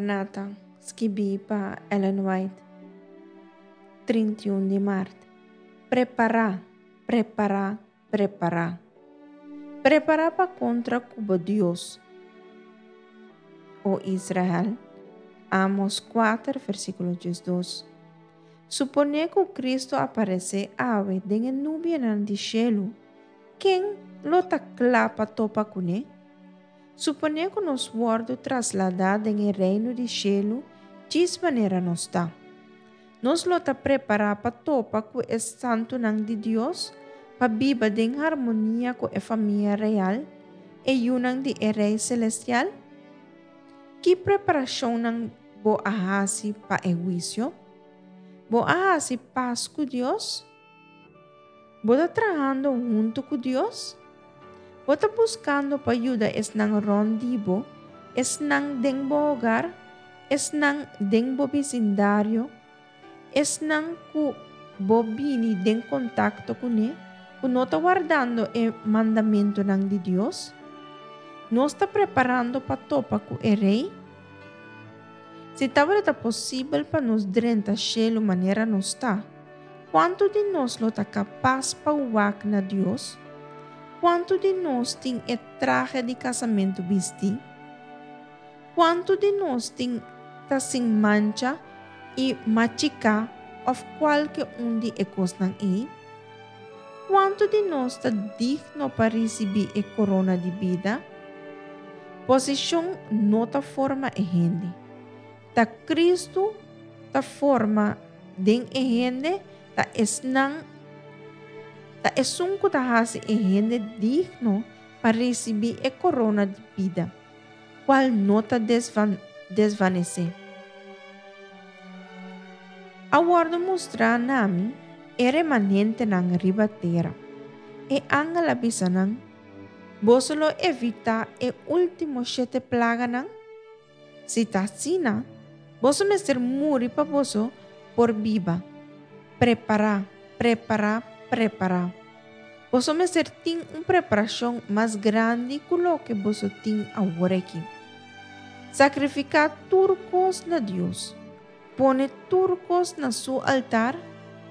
Maranata, skibí pa Ellen White, 31 di mart. Prepará, prepará, prepará. Prepará pa kontra ku bo Dios, o Israel. Amos 4, versíkulo 12. Suponé ku Kristu aparesé awe den e nubianan di shelu, ken lo ta kla pa topa kuné? Suponé ku nos wòrdu trasladá den e reino di shelu djis manera nos ta. Nos lo ta prepará pa topa ku e santunan di Dios, pa biba den harmonia ku e famia real, e yunan di e Rei selestial? Ki preparashonnan bo a hasi pa e huisio? Bo a hasi pas ku Dios? Bo ta trahando huntu ku Dios? Bo ta buskando pa yuda esnan rònt di bo, esnan den bo hogar, esnan den bo bisindario, esnan ku bo bini den kontakto kuné ku no ta wardando e mandamentunan di Dios? Nos ta preparando pa topa ku e Rei? Si tabata ta posibel pa nos drenta shelu manera nos ta, kuantu di nos lo ta kapas pa wak na Dios? Kuantu di nos tin e trahe di kasamentu bistí? Kuantu di nos tin ta sin mancha i machiká òf kualke un di e kosnan ei? Kuantu di nos ta digno pa risibí e korona di bida? Posishon no ta forma e hende. Ta Kristu ta forma den e hende, ta esnan ta esun ku ta hasi e hende digno pa risibí e korona di bida, kual no ta desvanesé. A wòrdu mustrá na mi e remanentenan riba tera. E angel a bisa nan, Boso lo evitá e último shete plaganan? Si ta asina, boso mester muri pa boso por biba. Prepará, prepará, prepará. Boso mester tin un preparashon mas grandi ku loke boso tin awor aki. Sakrifiká tur kos na Dios. Pone tur kos na su altar,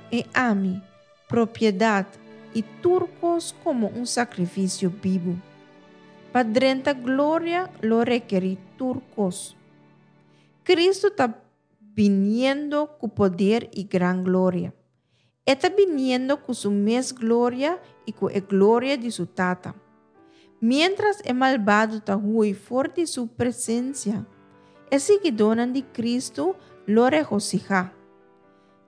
e ami, propiedat i tur kos komo un sakrifisio bibu. Pa drenta gloria lo rekerí tur kos. Kristu ta biniendo ku poder i gran gloria. E ta biniendo ku su mes gloria i ku e gloria di su Tata. Miéntras e malbado ta hui for di su presensia, e siguidónan di Kristu lo regosihá.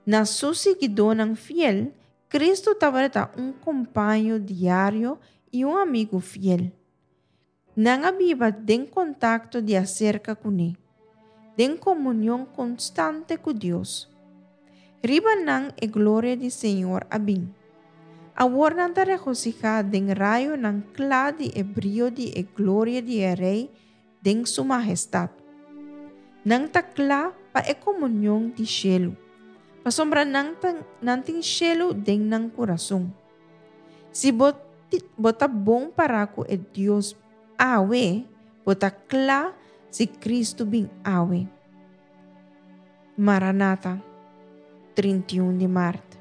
Na su siguidónan fiel, Kristu tabata un kompaño diario i un amigu fiel. Nan a biba den kontakto di aserka kuné, den komunion konstante ku Dios. Riba nan e gloria di Señor a bin. Awor nan ta regosihá den rayonan kla di e brio di e gloria di e Rei den su mahestat. Nan ta kla pa e komunion di shelu, pasobra nan ta nan tin shelu den nan kurason. Si bo bo ta bon pará ku e Dios awe, bo ta kla si Kristu bin awe. Maranata, 31 di mart.